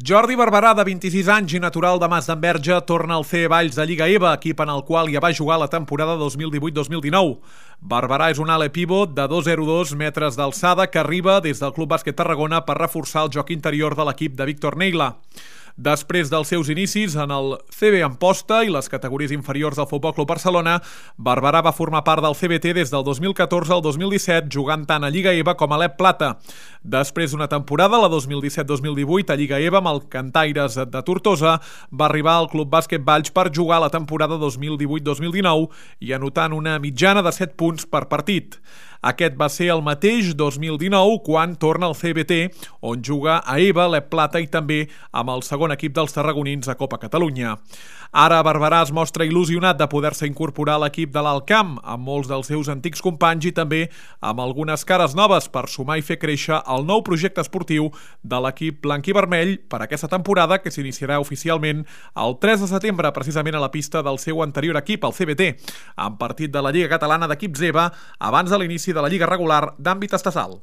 Jordi Barberà, de 26 anys i natural de Masdenverge, torna al CE Valls de Lliga EVA, equip en el qual ja va jugar la temporada 2018-2019. Barberà és un ala pivot de 2,02 metres d'alçada que arriba des del Club Bàsquet Tarragona per reforçar el joc interior de l'equip de Víctor Neila. Després dels seus inicis en el CB Amposta i les categories inferiors del Futbol Club Barcelona, Barberà va formar part del CBT des del 2014 al 2017, jugant tant a Lliga EVA com a l'EP Plata. Després d'una temporada, la 2017-2018, a Lliga EVA amb el Cantaires de Tortosa, va arribar al Club Bàsquet Valls per jugar la temporada 2018-2019 i anotant una mitjana de 7 punts per partit. Aquest va ser el mateix 2019 quan torna al CBT, on juga a EVA, l'EP Plata i també amb el segon equip dels tarragonins a Copa Catalunya. Ara Barberà es mostra il·lusionat de poder-se incorporar a l'equip de l'Alt Camp, amb molts dels seus antics companys i també amb algunes cares noves per sumar i fer créixer el nou projecte esportiu de l'equip blanc i vermell per aquesta temporada que s'iniciarà oficialment el 3 de setembre, precisament a la pista del seu anterior equip, el CBT, en partit de la Lliga Catalana d'Equips EVA abans de l'inici de la Lliga regular d'àmbit estatal.